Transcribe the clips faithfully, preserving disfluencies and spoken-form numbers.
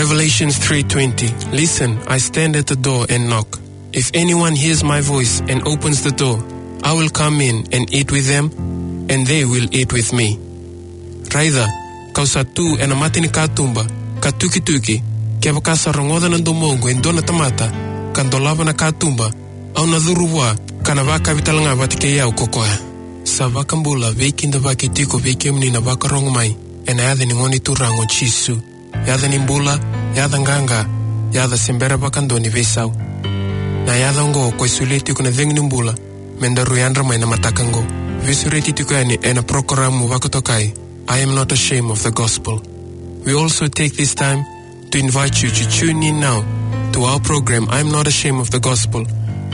Revelation three twenty. Listen, I stand at the door and knock. If anyone hears my voice and opens the door, I will come in and eat with them, and they will eat with me. Raica, kau sa tu ena mata ni katuba, ka tukituki, kevaka sa rogoca na domoqu e dua na tamata, ka dolava na katuba, au na curu vua, ka na vakavi talega vata kei au ko koya. Sa vakabula, veikidavaki tiko vei kemuni na vakarogo mai, ena yaca ni Gone Turaga o Jisu. Yaca ni bula, yaca qaqa, yaca se bera vakadua ni veisau. Na yaca oqo ko e solia tiko na cegu ni bula, me daru yadra mai na mataka oqo. Veisureti tiko yani ena porokaramu vakatokai, I Am Not Ashamed of the Gospel. We also take this time to invite you to tune in now to our program, I Am Not Ashamed of the Gospel,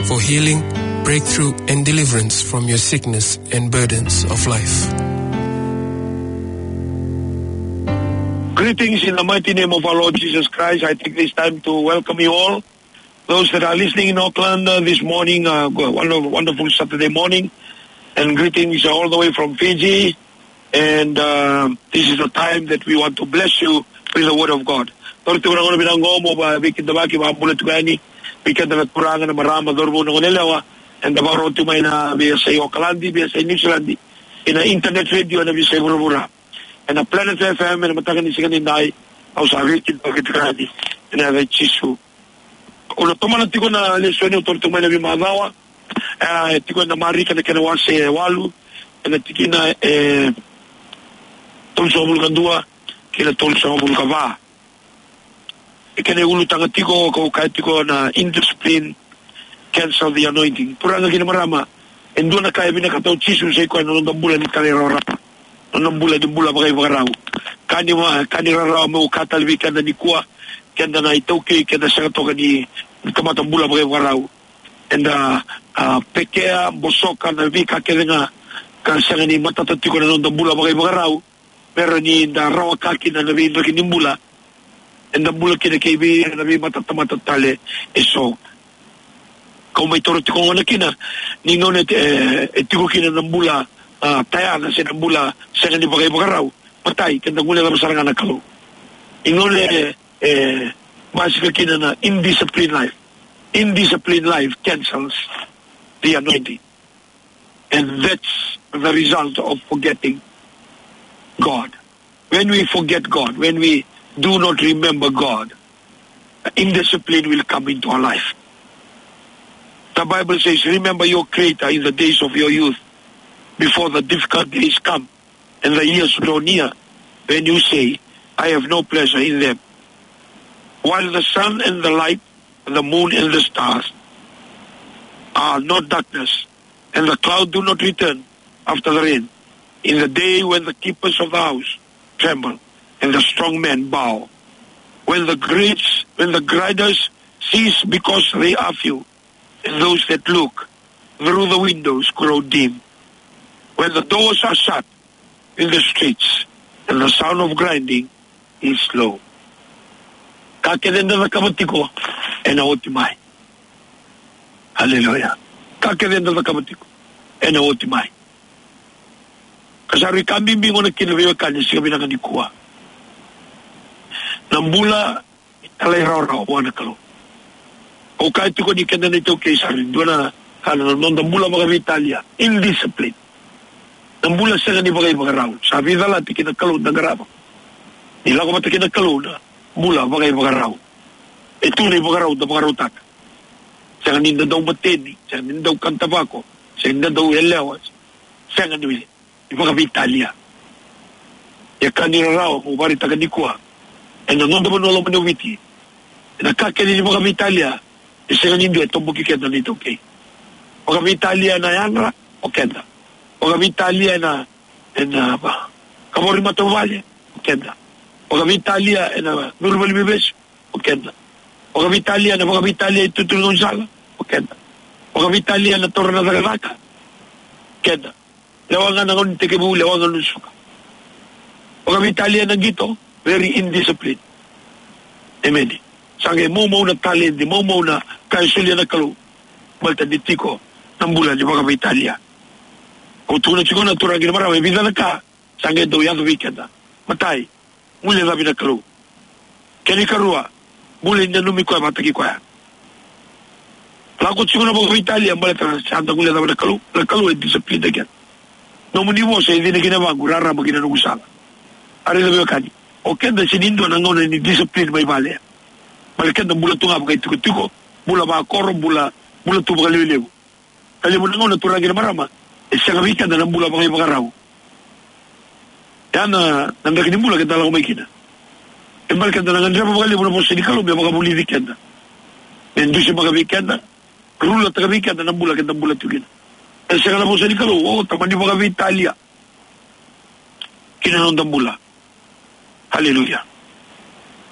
for healing, breakthrough, and deliverance from your sickness and burdens of life. Greetings in the mighty name of our Lord Jesus Christ. I take this time to welcome you all. Those that are listening in Auckland, uh, this morning, uh, go- wonder- wonderful Saturday morning. And greetings all the way from Fiji. And, uh, this is the time that we want to bless you with the word of God. Toro tiko na gauna vinaka oqo mo vakaveikidavaki, vakabula tiko yani vei keda na turaga, na marama, cauravou, na goneyalewa, eda vakarorogo tiko mai na veiyasai Okaladi, veiyasai Niusiladi, ena internet radio ena veiyasai vuravura, ena Planet F M, ena mataka ni siga nidai. Au sa veikidavaki tiko yani ena yaca i Jisu. Au na tomana tiko na lesoni au toro tiko mai na veimacawa. E, e tiko ena Marika na kena wase e walu, ena tikina e tolusagavulu ka dua kei na tolusagavulu ka va. E kena iulutaga tiko, kau kaya tiko na indiscipline cancel the anointing. Turaga kei na marama, e dua na ka e vinakata o Jisu, sa i koya na noda bula ni talairawarawa, na noda bula ni bula vakaivakarau. Ka ni ma- ka ni rarawa meu kaya tale vei keda nikua, keda na iTaukei, keda sega toka ni, ni tamata bula vakaivakarau. Eda, a, pekea, bosoka na veika kece ga ka sega ni matata tiko na noda bula vakaivakarau, me rawa ni da rawaka kina na veidraki ni bula eda bula kina kei vei ira na veimatatamata tale eso. Kau mai toro tiko gona kina ni gauna e, e tiko kina na bula, a, tayana se na bula sega ni vakaivakarau. Matai, keda guilecava sara ga na Kalou. Ni gauna e, e basika kina na indisciplined life. Indisciplined life cancels the anointing. And that's the result of forgetting God. When we forget God, when we do not remember God, indiscipline will come into our life. The Bible says, "Remember your Creator in the days of your youth, before the difficult days come and the years draw near, when you say, 'I have no pleasure in them.'" While the sun and the light, the moon and the stars are not darkness, and the cloud do not return after the rain, in the day when the keepers of the house tremble and the strong men bow, when the grades, when the griders cease because they are few, and those that look through the windows grow dim, when the doors are shut in the streets, and the sound of grinding is low. Ka kece eda cakava tiko ena oti mai. Haleluya. Ka kece eda cakava tiko ena oti mai. Ka sa rui ka bibi gona kina veiwekani siga vinaka nikua. Na bula talairawarawa vua na Kalou. Au kaya tiko ni keda na iTaukei sa rui dua na ka na noda bula vakaveitalia, indiscipline. Na bula sega ni vakaivakarau. Sa veicalati kei na Kalou da qarava. Ni lako vata kei na Kalou na bula vakaivakarau. E tu na ivakarau da vakarautaka. Sega ni da dau mateni, sega ni da dau kana tavako, sega ni da dau yalewa, sega ni vakaveitalia. Ia ka ni rarawa mo vakaraitaka nikua, ena noda vanua loma ni Viti, ena ka kece ni vakaveitalia, e sega ni dua e toboki keda na iTaukei. Vakaveitalia ena yadra, o keda. Vakaveitalia ena, ena va- kavoro ni matavuvale, o keda. Vakaveitalia ena curu valeniveivesu, o keda. Vakaveitalia ena vakaveitalia itutu ni gaunisala, o keda. Vakaveitalia ena taura na cakacaka, keda. Lewa ga na gauna ni tekivu, lewa ga na suka. Vakaveitalia ena qito, very indisciplined. Emeni. Sa qai maumau na taledi, maumau na ka e solia na Kalou. Baleta ni tiko na bula ni vakaveitalia. Au tukuna tiko na turaga kei na marama, e vica na ka sa qai dau yaco vei keda. Matai, guilecavi na Kalou. Kena ikarua, bula ni nanumi koya vakataki koya. Lako tiko na vakaveitalia baleta sa da guilecava na Kalou, na Kalou e discipline keda. Nomuni vosa e cina ki na yavaqu, rarama ki na noqu sala. A raica veiwekani, o keda sega ni dua na gauna ni discipline mai vale. Baleta keda bula tu ga vakaitikotiko, bula vakoro, bula, bula tu vakalevulevu. Na levu na gauna, turaga kei na marama, e sega vei keda na bula vakaivakarau. Ya na, na draki ni bula keda lako mai kina. E baleta keda na gadreva vakalevu na vosa ni Kalou me vakavulici keda, me dusimaka vei keda, rulataka vei keda na bula keda bula tu kina. E sega na vosa ni Kalou, o, tamani vakaveitalia ki na noda bula. Haleluya.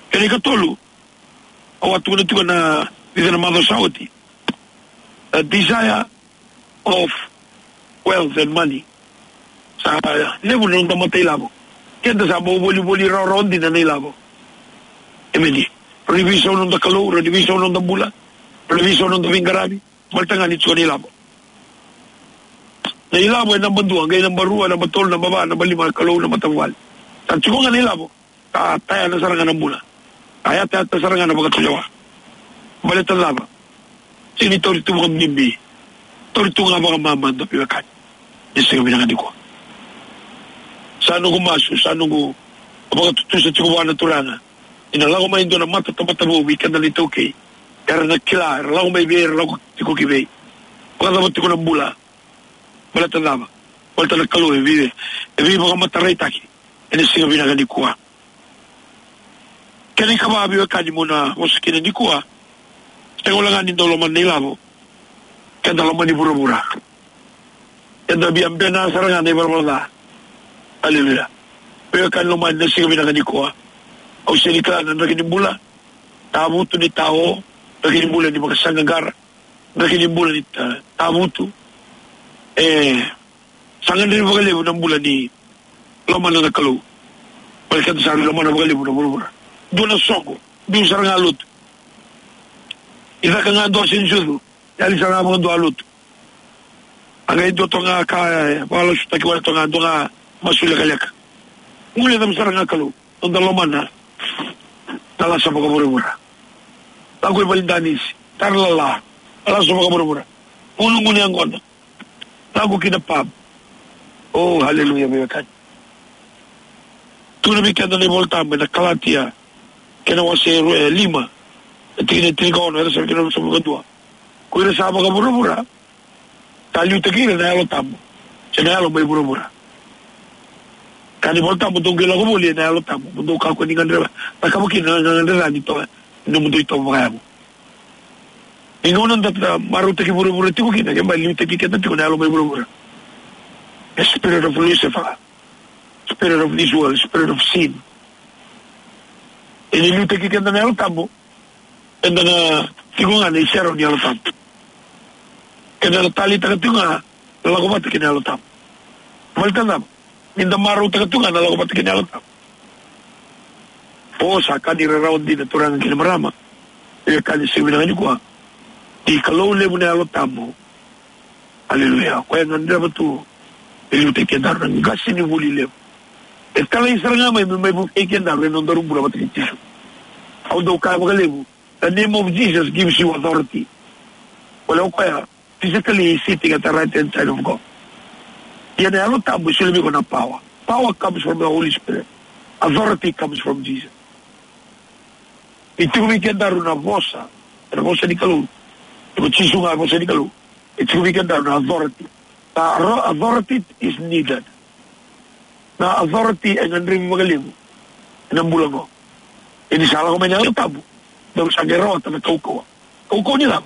Kena ikatolu, au a tukuna tiko na vica na macawa sa oti. A desire of wealth and money. Sa levu na noda matailavo. Keda sa bau volivoli rawarawa dina na ilavo. Emeni. Rau ni veisau na noda Kalou, rau ni veisau na noda bula, rau ni veisau na noda veiqaravi. Baleta ga ni tiko na ilavo. Na ilavo e naba dua, qai naba rua, naba tolu, naba va, naba lima, Kalou, na matavuvale. Sa tiko ga na ilavo. Ka tayana sara ga na bula. Ka yatayata sara ga na vakatulewa. Baleta na cava? Sega ni tauri tu vakabibi. Tauri tu ga vakamamada, veiwekani. Ni siga vinaka nikua. Sa noqu masu, sa noqu vakatutusa tiko vua na Turaga. Ni na lako mai e dua na matatamata vou vei keda na iTaukei. Era na kila, era lako mai vei, era lako tiko ki vei. Vakacava tiko na bula. Baleta na cava? Baleta na Kalou e vei, e veivakamataraitaki ena siga vinaka nikua. Kena ikava, veiwekani, meu na vosa kina nikua. Sega wale ga ni dau lomana na ilavo, keda lomani vuravura. Keda via bena sara ga na ivalavala ca. Aleluya. Veiwekani lomani, na siga vinaka nikua, au sega ni kila na draki ni bula, tavutu ni tao, draki ni bula ni vakasaqaqara, draki ni bula ni ta-, tavutu. E sa gadrevi vakalevu na bula ni lomana na Kalou. Baleta keda sa lomana vakalevu na vuravura. Dua na soqo, biu sara ga lotu. I caka ga dua se ni sucu, yali sara ga vakadua lotu. A qai dua toka ga ka, e, vakalasutaki wale toka ga, dua ga masu lekaleka. Guilecava sara ga Kalou, noda lomana na lasa vakavuravura. Lako i valedanisi, tara lala, lasa vakavuravura. Gunu, gunu yaqona. Lako ki na pub. Oh, haleluya, veiwekani. Tukuna vei keda na iVolatabu ena Kalatia, kena wase e rua, e lima, e tikina e tinikaono, era sa kena ruasagavulu ka dua. Ko ira sa vakavuravura, sa liutaki ira na Yalo Tabu, se na yalo mai vuravura. Kaya na iVolatabu, dou qai lako voli ena Yalo Tabu, mo dou kakua ni gadreva, cakava kina na gagadre ca ni to-, ni nomudou itovo vakayago. Ni gauna da, da marautaki vuravura tiko kina, ke ba liutaki keda tiko na yalo mai vuravura. The spirit of Lucifer, spirit of this world, spirit of sin. E ni liutaki keda na Yalo Tabu, eda na tiko ga na iserau ni Yalo Tabu. Keda na taleitaka tiko ga na lako vata kei na Yalo Tabu. Baleta na cava? Ni da marautaka tu ga na lako vata kei na Yalo Tabu. O, sa ka ni rarawa dina, turaga kei na marama. E ka ni siga vinaka nikua. Ni Kalou levu na Yalo Tabu. Aleluya. Koya e gadreva tu me liutaki kedaru na qasenivuli levu. E talai sara ga mai me mai vukei kedaru ena nodaru bula vata kei Jisu. Au dau kaya vakalevu, the name of Jesus gives you authority. Koya, o koya physically is sitting at the right hand side of God. Ia na Yalo Tabu e solia vei iko na power. Power comes from the Holy Spirit. Authority comes from Jesus. E tiko vei kedaru na vosa, na vosa ni Kalou. Ko Jisu ga e vosa ni Kalou. E tiko vei kedaru na authority. Na ro-, authority is needed. Na authority e gadrevi vakalevu ena bula qo. Ia ni sa lako mai na Yalo Tabu, daru sa qai rawata na kaukauwa. Kaukauwa ni cava?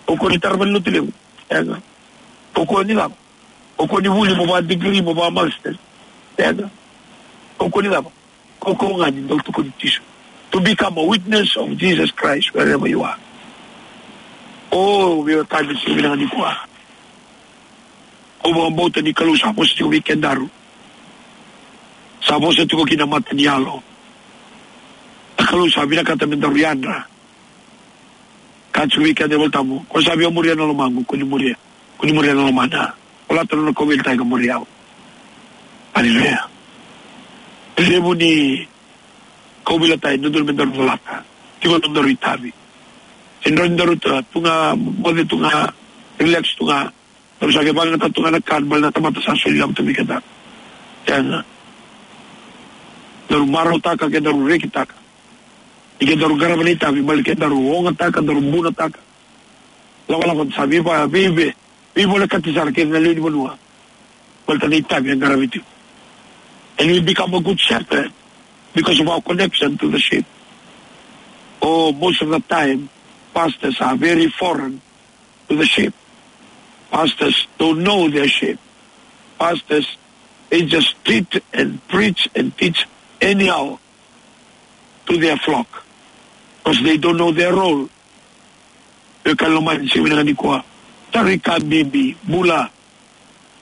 Kaukauwa ni tara mai na lotu levu? Sega. Kaukauwa ni cava? Kaukauwa ni vuli mo vaka degree, mo vaka master? Sega. Kaukauwa ni cava? Kaukauwa ga ni dau tukuni Jisu. To become a witness of Jesus Christ wherever you are. O, veiwekani, siga vinaka nikua. Au vakabauta ni Kalou sa vosa tiko vei kedaru. Sa vosa tiko ki na mata ni yalo. Na Kalou sa vinakata me daru yadra. Ka tiko vei keda na iVolatabu, ko sa via muria na lomaqu, ko ni muria. Ko ni muria na lomana. Ko lata na nona kauveilatai ka muri au. Aleluya. Levu ni Kau veilatai, dodonu me daru calata. Tiko na nodaru itavi. Se dodonu daru tu ga, moce tu ga, relax tu ga. Daru sa qai vakayagataka tu ga na ka, baleta na tamata sa soli lako tu vei keda. Sega. Daru marautaka, ke daru rekitaka. Ni ke daru qarava na itavi, baleta ke daru ogataka, daru bunataka. Lakolako sa veiva, veive, veivolekati sara kei na lewe ni vanua. Baleta na itavi e qaravi tiko. And we become a good shepherd because of our connection to the sheep. Oh, most of the time, pastors are very foreign to the sheep. Pastors don't know their sheep. Pastors, they just treat and preach and teach anyhow to their flock, because they don't know their role. Veiwekani lomani, siga vinaka nikua, tarai ka bibi, bula,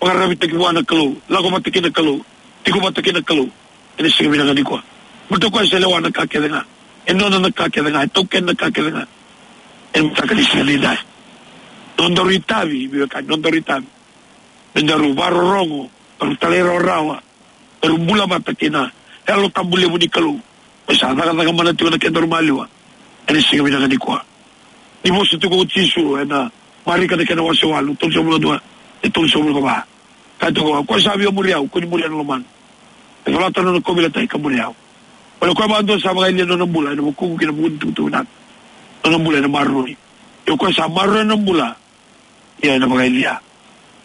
vakararavitaki vua na Kalou, lako vata kei na Kalou, tiko vata kei na Kalou. Ena siga vinaka nikua, baleta o koya sa lewa na ka kece ga, e nona na ka kece ga, e taukena na ka kece ga. Ena mataka ni siga nidai, nodaru itavi, veiwekani, nodaru itavi me daru vakarorogo, daru talairawarawa, daru bula vata kei na Yalo Tabu levu ni Kalou, me sa cakacaka mana tiko na kedaru maliwa. Ena siga vinaka nikua, ni vosa tiko o Jisu ena Marika na kena wase walu, tolusagavulu ka dua, e tolusagavulu ka va. Kaya tiko, o koya sa via muri au, kua ni muria na lomana. E colata na nona kauveilatai ka muri au. Baleta o koya vakadua sa vakayalia na nona bula ena vukuqu kei na vuku ni tukutuku vinaka, na nona bula ena maroroi. Ia o koya sa maroroya na nona bula, ia ena vakayalia.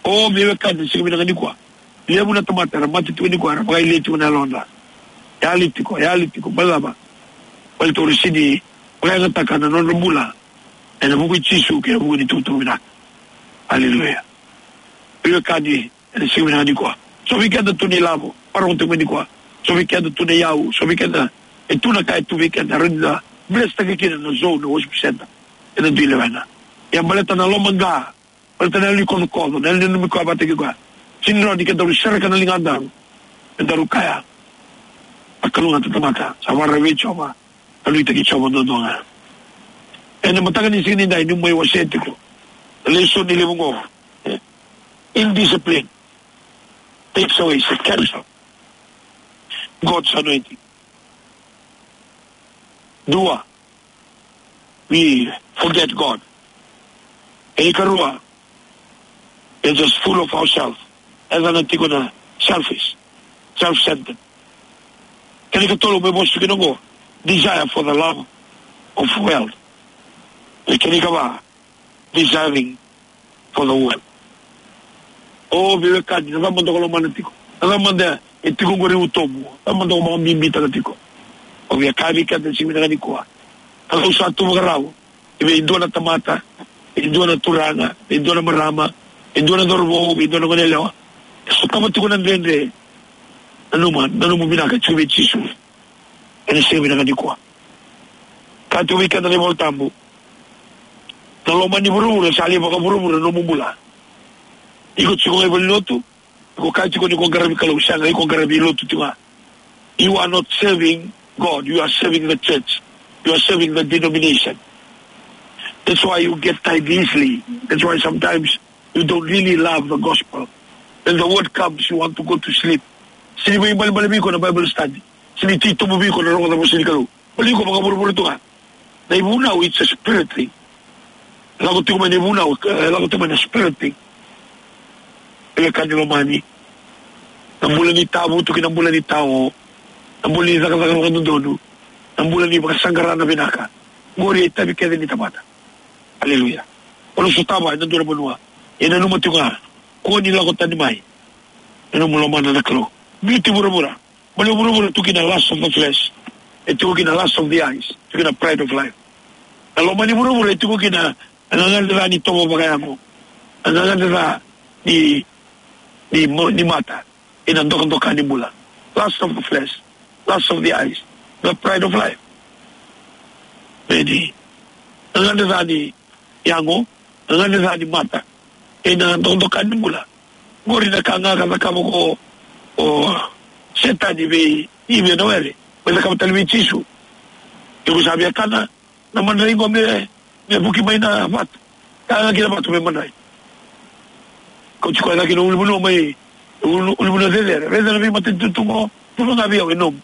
O, veiwekani, siga vinaka nikua, levu na tamata era mate tiko nikua, era vakayalia tiko na yalodra. Yali tiko, yali tiko, baleta na cava? Baleta era sega ni vakayagataka na nodra bula ena vuku i Jisu kei na vuku ni tukutuku vinaka. Aleluya. Veiwekani, ena siga vinaka nikua, so vei keda tu na ilavo, vakarorogo tiko mai nikua. So vei keda tu na iyau, so vei keda e tu na ka e tu vei keda, rawa ni da blesstaki kina na zone, na worship center eda dui lewena. Ia baleta na lomaqa, baleta na yalo ni kocokoco, na yalo ni nanumi koya vata kei koya, sega ni rawa ni kedaru sereka na ligadaru me daru kaya, a kalougata na tamata sa vakararavi vei Jiova, a nuitaki Jiova duadua ga. Ena mataka ni siga nidai, niu mai wasea tiko na lesoni levu oqo, eh, indiscipline takes away, se cancel God's anointing. Dua, we forget God. Kena ikarua, we're just full of ourselves. Eda na tiko na selfish, self-centered. Kena ikatolu, me vosa kina oqo, desire for the love of wealth. Kena ikava, desiring for the world. O, veiwekani, na cava mada o lomana tiko? Na cava mada e tiko oqori e utomu? Na cava mada o vakabibitaka tiko? O via kaya vei keda ena siga vinaka nikua, Kalou sa tu vakarau vei dua na tamata, vei dua na turaga, vei dua na marama, vei dua na cauravou, vei dua na goneyalewa. E sotava tiko na dredre. Nanuma, nanuma vinaka tiko vei Jisu ena siga vinaka nikua. Kaya tiko vei keda na iVola Tabu, na loma ni vuravura sa lai vakavuravura na nomu bula. Iko tiko ga i valenilotu, iko kaya tiko ni ko qaravi Kalou, sega, iko qaravi lotu tiko ga. You are not serving God, you are serving the church, you are serving the denomination. That's why you get tired easily. That's why sometimes you don't really love the gospel. When the word comes, you want to go to sleep. Sega ni vakaibalebale vei iko na Bible study. Sega ni titobu vei iko na rogoca vosa ni Kalou. Baleta iko vakavuravura tu ga. Na ivunau, it's a spirit thing. Lako tiko mai na ivunau, e lako tiko mai na spirit thing. Veiwekani lomani, na bula ni tavutu kei na bula ni tao, na bula ni cakacaka vakadodonu, na bula ni vakasaqara na vinaka, oqori e itavi kece ni tamata. Aleluya. O na sotava ena dua na vanua, e nanuma tiko ga, kua ni lako tani mai ena nomu lomana na Kalou. Biuti vuravura. Baleta vuravura e tiko kina lust of the flesh, e tiko kina lust of the eyes, tiko kina pride of life. Na loma ni vuravura e tiko kina na gagadre ca ni itovo vakayago, na gagadre ca ni, ni, mo-, ni mata, ena dokadoka ni bula. Lust of the flesh, lust of the eyes, the pride of life. Vedi, na gagadre ca ni yago, na gagadre ca ni mata, ena dokadoka ni bula. Oqori na ka ga ka cakava ko, o Setani vei Ivi ena were, me cakava tale vei Jisu. Iko sa via kana na madrai qo me, me vuki mai na vatu. Ka ga kina vatu me madrai. Kauti koya cake na ulunivanua mai, ulu-, ulunivanua cecere. Raica na veimatanitu tu qo, tu ga vei au e nomu.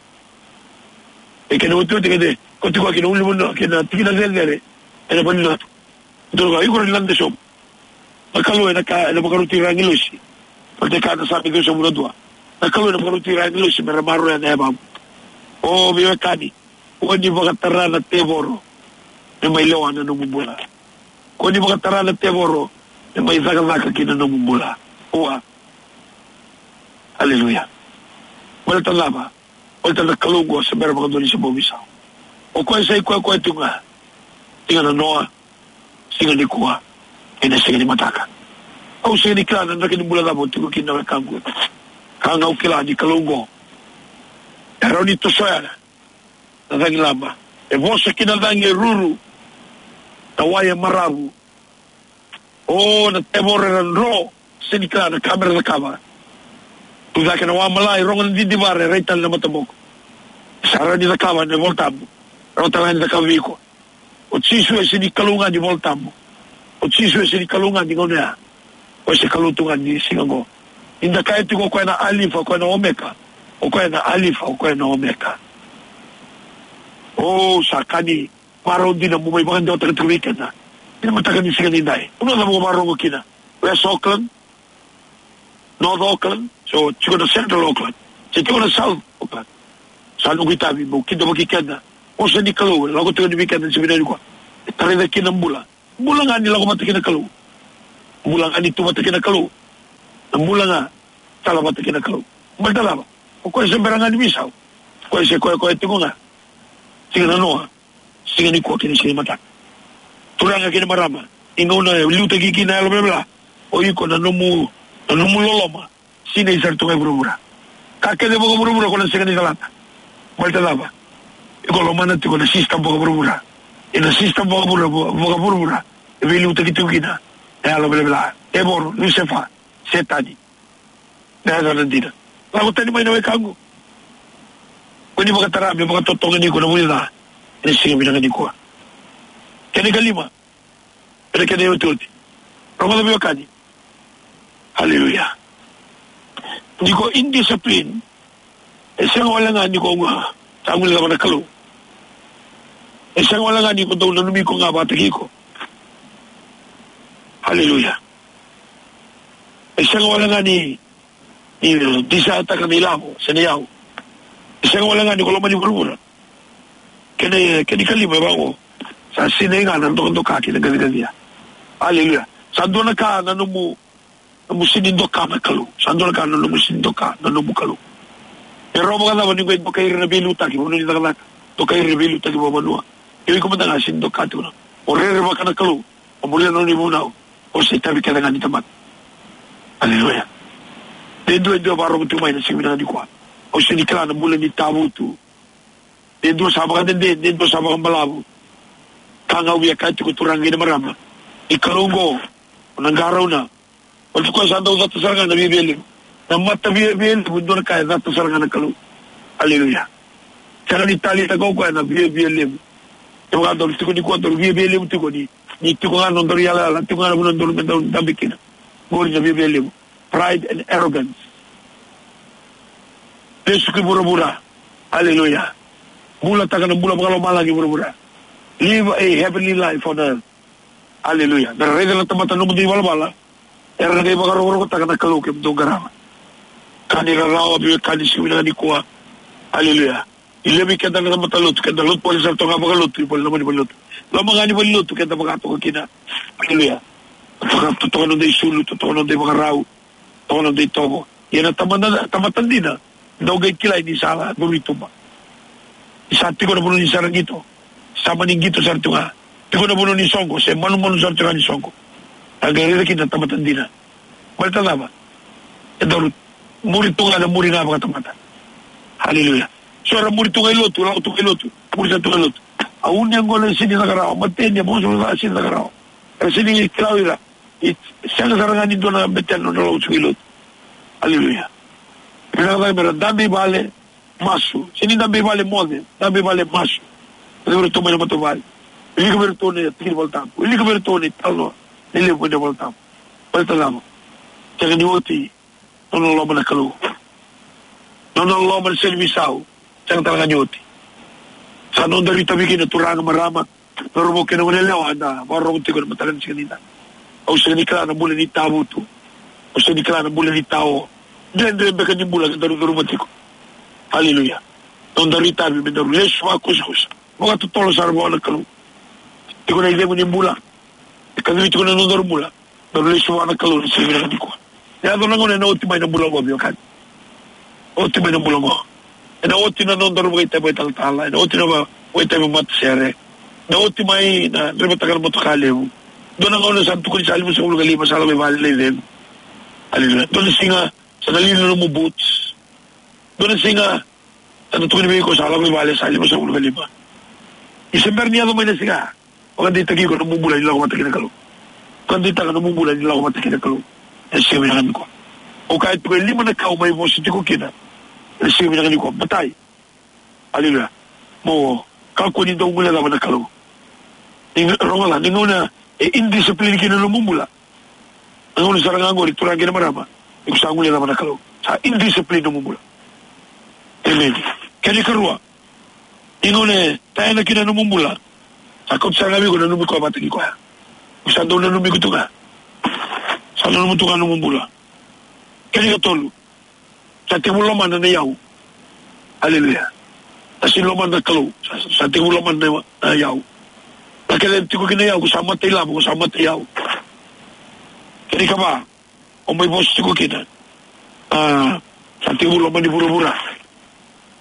E kena otioti kece, ko tiko kina ulunivanua, kena tikina cecere ena vanua. Dou ka iko ni lade sobu. Na Kalou ena ka, ena vakaroti ira agilosi. Baleta e kaya na Same ciwasagavulu ka dua. Na Kalou ena vakaroti ira agilosi me ra maroroya na yavamu. O veiwekani, kua ni vakatara na tevoro me mai lewa na nomu bula. Kua ni vakatara na tevoro me mai cakacaka ki na nomu bula. Ua. Aleluya. Baleta cava? Baleta na Kalou oqo se bera vakadua ni se bau veisau. O koya sa i koya koya tiko ga. Siga nanoa, siga nikua, ena siga ni mataka. Au sega ni kila na draki ni bula cava o tiko kina, na wekaqu. Ka ga au kila ni Kalou oqo e rawa ni tosoya na cagi laba. E vosa ki na cagi e ruru, na wai e maravu. O na tevoro era dro, sega ni kila na ka mera cakava. Tu cake na wa mala, e rogo na didivara, e rai tale na mataboko. Sa rawa ni cakava na iVolatabu. Rawa tale ga ni cakava vei iko. O Jisu e sega ni Kalou ga ni iVolatabu. O Jisu e sega ni Kalou ga ni gauna ya. O koya se Kalou tu ga ni siga oqo. Ni da kaya tiko o koya na Alifa, o koya na Omeka. O koya na Alifa, o koya na Omeka. O sa ka ni marau dina mo mai vakadewataka tiko vei keda. Ena mataka ni siga nidai. Vanua cava o vakarorogo kina? West Auckland, North Auckland, se tiko na Central Auckland, se tiko na South Auckland. Sa noqu itavi meu kidavaki keda. Vosa ni Kalou e lako tiko yani vei keda ena siga vinaka nikua. E tarai cake kina na bula. Bula ga ni lako vata kei na Kalou. Bula ga ni tu vata kei na Kalou. Na bula ga tala vata kei na Kalou. Baleta cava? O koya se bera ga ni veisau. O koya se koya, koya tiko ga. Siga nanoa, siga nikua kei na siga ni mataka. Turaga kei na marama, ni gauna e liutaki kina na yalo velavela, o iko na nomu, na nomu loloma sinai sara tu ga e vuravura. Ka kece vakavuravura ko na sega ni calata. Baleta cava? Iko lomana tiko na system vakavuravura. Ia na system vakavura, vakavuravura e veiliutaki tiko kina na yalo velavela, tevoro, Lusefa, Setani. Na yacana dina. Lako tani mai na wekaqu. Kua ni vakatara me vakatotoga ni iko na vunica ena siga vinaka nikua. Kena ikalima, ena kena iotioti. Rogoca veiwekani. Aleluya. Ni ko indiscipline, e sega wale ga ni ko ga sa guilecava na Kalou. E sega wale ga ni ko dau nanumi iko ga vakataki iko. Aleluya. E sega wale ga ni, ni disaitaka na ilavo se na iyau. E sega wale ga ni ko lomani vuravura. Kena, kena ikalima e vaqo. Sa sinai ga na dokadoka kei na qaciqacia. Aleluya. Sa dua na ka na nomu, nomu sega ni doka na Kalou. Sa dua na ka na nomu sega ni doka na nomu Kalou. E rawa vakacava ni qai dokai ira na veiliutaki, vanua ni cakacaka, dokai ira na veiliutaki vakavanua. Ia o iko mada ga sega ni doka tiko na. O rerevaka na Kalou. O muria na nona ivunau. O se itavi kece ga ni tamata. Aleluya. De dua e dua e vakarogo tu mai na siga vinaka nikua. Au sega ni kila na bula ni tavutu. De dua sa vakadede, de dua sa vakabalavu. Ka ga au via kaya tiko, turaga kei na marama, ni Kalou oqo, o na qarauna. O tiko sa dau cata sara ga na viavia levu. Na mata viavia levu, dua na ka e cata sara ga na Kalou. Aleluya. Sega ni taleitaka o koya na viavia levu. Kevaka daru tiko nikua daru viavia levu tiko ni, ni tiko ga na nodaru yalayala, tiko ga na vanua daru, me daru dabe kina. Qori na viavia levu. Pride and arrogance. Lesu ki vuravura. Aleluya. Bulataka na bula vakalomalagi vuravura. Live a heavenly life on earth. Aleluya. Me ra raica na tamata nomudou ivalavala. Era na qai vakarokorokotaka na Kalou kemudou qarava. Ka ni rarawa, veiwekani, siga vinaka nikua. Aleluya. E levu vei keda na tamata lotu, keda lotu voli sara toka ga vakalotu, i voli na mani valilotu. Loma ga ni valilotu keda vaka toka kina. Aleluya. Toka, toka noda isulu, toka noda ivakarau, toka noda itovo. Ia na tamata, tamata dina, dau qai kilai ni sa curu i tuba. Ni sa tiko na vanua ni sa ra qito. Sa mani qito sara tu ga. Tiko na vanua ni soqo, se manumanu sara tu ga ni soqo. A qai raica kina na tamata dina. Baleta cava? E daru muri tu ga na muri ga vakatamata. Aleluya. So era muri tu ga i lotu, lako tu ga i lotu, muri sara tu ga i lotu. A uni, a gone sega ni caka rawa, mateni, a vosa, vosa sega ni caka rawa. Era sega ni kila o ira. E sega sara ga ni dua na betena nodra lako tu ga i lotu. Aleluya. Vinaka cake me ra dabe i vale, masu. Sega ni dabe i vale moce, dabe i vale, masu. Wilika vei iratou mai na matavuvale. Wilika vei iratou na tiki ni Volatabu. Wilika vei iratou na italanoa lelevu mai na Volatabu. Baleta cava? Sega ni oti nona loloma na Kalou. Nona loloma na sega ni veisau. Sega tale ga ni oti. Sa noda itavi kina, turaga, marama, cauravou kei na goneyalewa eda vakarorogo tiko ena mataka ni siga nidai. Au sega ni kila na bula ni tavutu. Au sega ni kila na bula ni tao. Dredre beka ni bula kedaru curuma tiko. Aleluya. Nodaru itavi me daru lesu vakusakusa, vakatotolo sara vua na Kalou. Tiko na icegu ni bula e kacivi tiko na nodaru bula. Daru lesu vua na Kalou ena siga vinaka nikua. Yaco na gauna ena oti mai na bula oqo, veiwekani. Oti mai na bula oqo. Ena oti na nodaru vakaitavi vakaitalatala, ena oti na va-, vakaitavi matasere. Ena oti mai na draivataka na motoka levu. Dua na gauna sa tukuni sa limasagavulu ka lima, sa lako i vale na icegu. Aleluya. Dua na siga sa na lili na nomu boots. Dua na siga sa na tukuni vei iko sa lako i vale sa limasagavulu ka lima. Ni se bera ni yaco mai na siga, vakadeitaki iko na nomu bula ni lako vata kei na Kalou. Vakadeitaka na nomu bula ni lako vata kei na Kalou ena siga vinaka nikua. Au kaya tiko e lima na ka au mai vosa tiko kina ena siga vinaka nikua. Matai. Aleluya. Mo kakua ni dau guilecava na Kalou. Ni rogoca, ni gauna e indiscipline kina na nomu bula. Na gauna sara ga oqori, turaga kei na marama, ni ko sa guilecava na Kalou. Sa indiscipline nomu bula. Amen. Kena ikarua, ni gauna e taena kina na nomu bula, sa kauta sara ga vei iko na nanumi koya vata kei koya. Ni ko sa dau nanumi iko tu ga. Sa nanumi tu ga na nomu bula. Kena ikatolu, sa tekivu lomana na iyau. Aleluya. Sa sega ni lomana na Kalou. Sa, sa tekivu lomana na, na iyau. Na kena tiko kina iyau, ko sa mata ilavo, ko sa mata iyau. Kena ikava, au mai vosa tiko kina. A, sa tekivu lomani vuravura.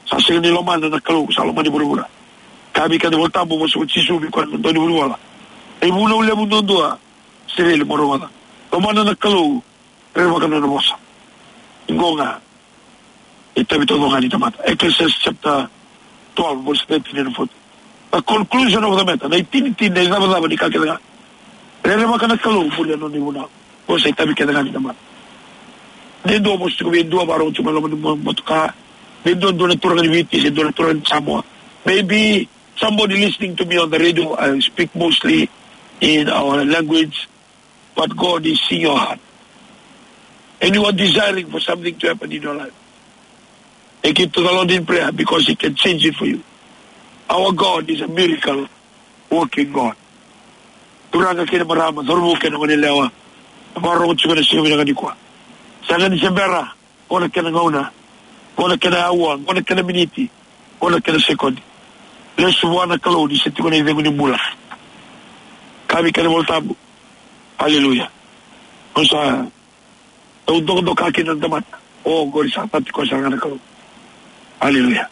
Sa sega ni lomana na Kalou, sa lomani vuravura. Kaya vei keda na iVolatabu, vosa o Jisu vei koya na dau ni vunivola. Na ivunau levu duadua Isireli, mo rogoca. Lomana na Kalou, rerevaka na nona vosa. Qo ga e itavi taucoko ga ni tamata. Ecclesiastes chapter twelve, verse thirteen and fourteen. The conclusion of the matter, na itinitini, na icavacava ni ka kece ga. Rerevaka na Kalou, muri na nona ivunau. Qo sa itavi kece ga ni tamata. De dua vosa tiko vei dua, vakarorogo tiko mai loma ni mo-, motoka. De dua, dua na turaga ni Viti, se dua na turaga ni Samoa. Maybe somebody listening to me on the radio, I speak mostly in our language. But God is seeing your heart. And you are desiring for something to happen in your life. Take it to the Lord in prayer because He can change it for you. Our God is a miracle working God. Turaga kei na marama, cauravou kei na goneyalewa, vakarorogo tiko ena siga vinaka nikua. Sega ni se bera, qo na kena gauna, qo na kena aua, qo na kena miniti, qo na kena sekodi. Lesu vua na Kalou ni se tiko na icegu ni bula. Kaya vei keda na iVolatabu. Aleluya. Au sa, au dokadoka kina na tamata. O, qori sa tiko sara ga na Kalou. Aleluya.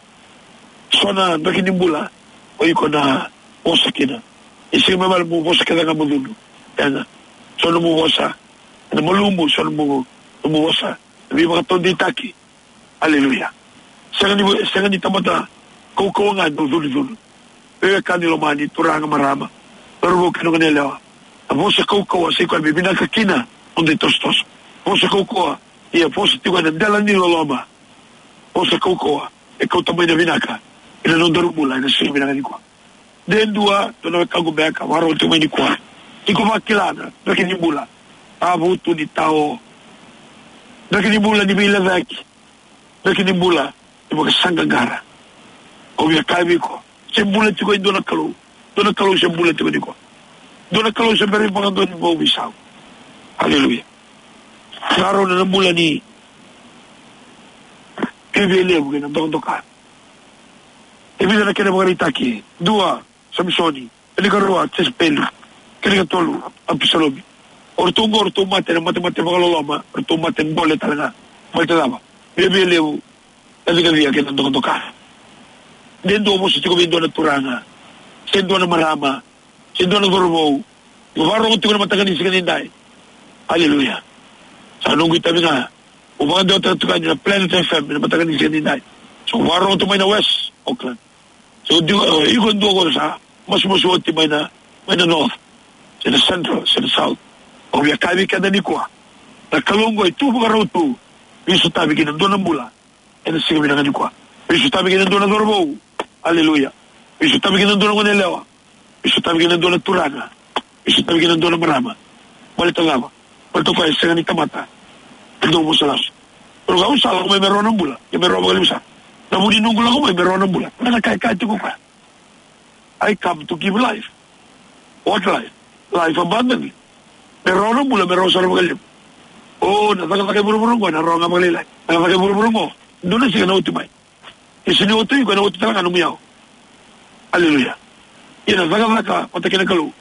So na draki ni bula o iko na vosa kina. E sega ni vale mo vosa kece ga mo cudru. Ena, so nomu vosa ena malumu, so nomu, nomu vosa na veivakataudeitaki. Aleluya. Sega ni, sega ni tamata kaukauwa ga e dau cudrucudru. Veiwekani lomani, turaga, marama, cauravou kei na goneyalewa. Na vosa kaukauwa sa i koya me vinaka kina noda itosotoso. Vosa kaukauwa, ia vosa tiko ena dela ni loloma. Vosa kaukauwa e kauta mai na vinaka ena nodaru bula ena siga vinaka nikua. De dua, dua na wekaqu beka vakarorogo tiko mai nikua. Iko vakila na draki ni bula, tavutu ni tao. Draki ni bula ni veilecayaki. Draki ni bula ni vakasaqaqara. Au via kaya vei iko, se bula tiko e dua na Kalou. Dua na Kalou se bula tiko nikua. Dua na Kalou se bera ni vakadua ni vauveisau. Aleluya. Sa rau na bula ni Viavialevu kei na Dokadoka. E vica na kena ivakaraitaki. Dua, Samisoni. Kena ikarua, Jesepeli. Kena ikatolu, Apisalomi. O ratou oqo, o ratou mate ena matemate vakaloloma, o ratou mate gole tale ga. Baleta cava? Viavialevu, kacikaciga kei na dokadoka. De dua vosa tiko vei dua na turaga, se dua na marama, se dua na cauravou. Mo vakarorogo tiko ena mataka ni siga nidai. Aleluya. Sa noqu itavi ga. Au vakadewataka tiko yani na Planet F M ena mataka ni siga nidai. So vakarorogo tu mai na West Auckland. So dua, e, iko dua ko sa masumasu oti mai na, mai na North, se na Central, se na South. Au via kaya vei keda nikua, na Kalou oqo e tu vakarau tu. Veisotavi kina dua na bula ena siga vinaka nikua. Veisotavi kina dua na cauravou. Aleluya. Veisotavi kina dua na goneyalewa. Veisotavi kina dua na turaga. Veisotavi kina dua na marama. Baleta cava? Baleta o koya e sega ni tamata e dau vosa lasu. Rau kaya au sa lako mai me rawa na bula, ke me rawa vakalevu sara. Na vu ni noqu lako mai me rawa na bula, na ka e kaya tiko o koya. I come to give life. What life? Life abundantly. Me rawa na bula, me rawa sara vakalevu. O, na cakacaka e vuravura oqo, na rawa ga vakalailai. Na cakacaka e vuravura oqo, dua na siga ena oti mai. Ia se ni oti, iko ena oti tale ga nomu iyau. Aleluya. Ia na cakacaka vata kei na Kalou.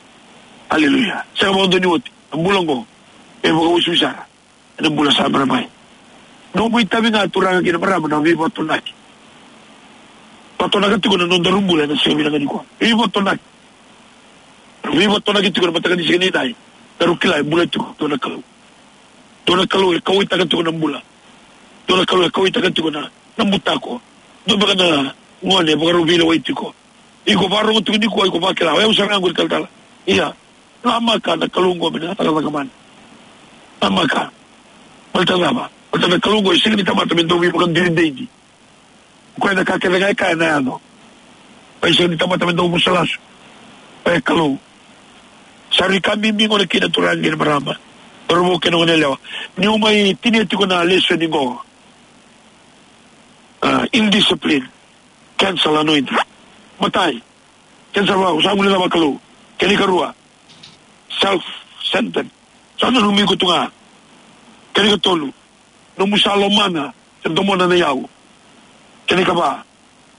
Aleluya. Sega vakadua ni oti. Na bula oqo e vakauasivi sara ena bula sa bera mai. Nomu itavi ga, turaga kei na marama, na veivakatonaki. Vakatonaka tiko na nodaru bula ena siga vinaka nikua. Veivakatonaki. Veivakatonaki tiko na mataka ni siga nidai. Daru kila e bula tiko dua na Kalou. Dua na Kalou e kauwaitaka tiko na bula. Dua na Kalou e kauwaitaka tiko na, na butako. Dua beka na gone e vakarau veilewai tiko. Iko vakarogo tiko nikua, iko vakila, o yau sara ga qori talatala. Ia, namaka na Kalou oqo me na cakacaka mana. Namaka. Baleta cava? Baleta na Kalou oqo e sega ni tamata me dau veivakadinadinati. O koya na ka kece ga e kaya ena yaco. Koya e sega ni tamata me dau vosa lasu. Koya e Kalou. Sa rui ka bibi gona kina, turaga kei na marama, cauravou kei na goneyalewa. Niu mai tinia tiko na lesoni qo. Ah, indiscipline. Cancel anointing. Matai. Cancel vakasagu ni cava Kalou. Kena ikarua. Self-centered. Sa nanumi iko tu ga. Kena ikatolu. Nomu sa lomana se domona na iyau. Kena ikava.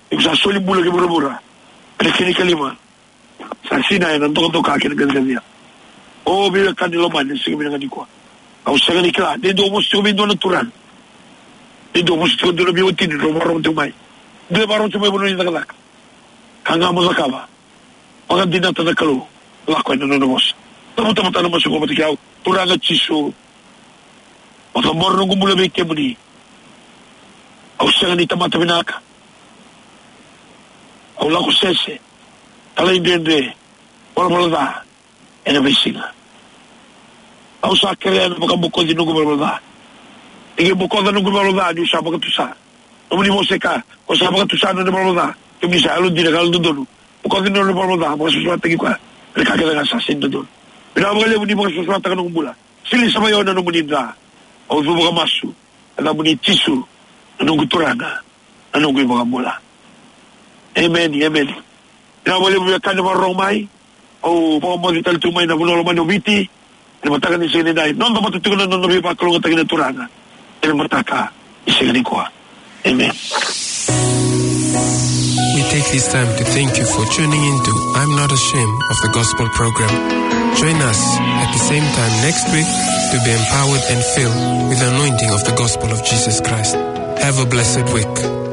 Iko sa soli bula ki vuravura. Kena, kena ikalima. Sa sinai ena dokadoka kei na qaciqacia. O veiwekani lomani, siga vinaka nikua. Au sega ni kila. Ni dua vosa tiko vei dua na turaga. Ni dua vosa tiko dua na veiwatini, drau vakarorogo tiko mai. Dua e vakarorogo tiko mai vanua ni cakacaka. Ka ga mo cakava. Vakadinata na Kalou. Lako ena nona vosa. Tamatama na masu qo vata kei au. Turaga Jisu. Vakabora noqu bula vei kemuni. Au sega ni tamata vinaka. Au lako sese. Talaidredre. Valavala ca. Ena veisiga. Au sa kerea na vakabokoci noqu valavala ca. Ni qai bokoca noqu valavala ca, niu sa vakatusa. Nomuni vosa e kaya, ko sa vakatusa na nona valavala ca, kemuni sa yalodina ka yalododonu. Bokoca na nona valavala ca, vakasuasuataki koya. Ena ka kece ga sa sega ni dodonu. Vinaka vakalevu ni vakasuasuataka noqu bula. Sili sa mai au na nomuni dra. Au cuva ka masu. Ena yacamuni Jisu, na noqu Turaga, na noqu iVakabula. Emeni, emeni. Vinaka vakalevu veiwekani vakarorogo mai. Au vakamoce tale tu mai na vanua lomani o Viti. Ena mataka ni siga nidai. Noda vata tiko na noda veivakalougatataki na Turaga. Ena mataka ni siga nikua. Amen. We take this time to thank you for tuning in to I'm Not Ashamed of the Gospel program. Join us at the same time next week to be empowered and filled with the anointing of the gospel of Jesus Christ. Have a blessed week.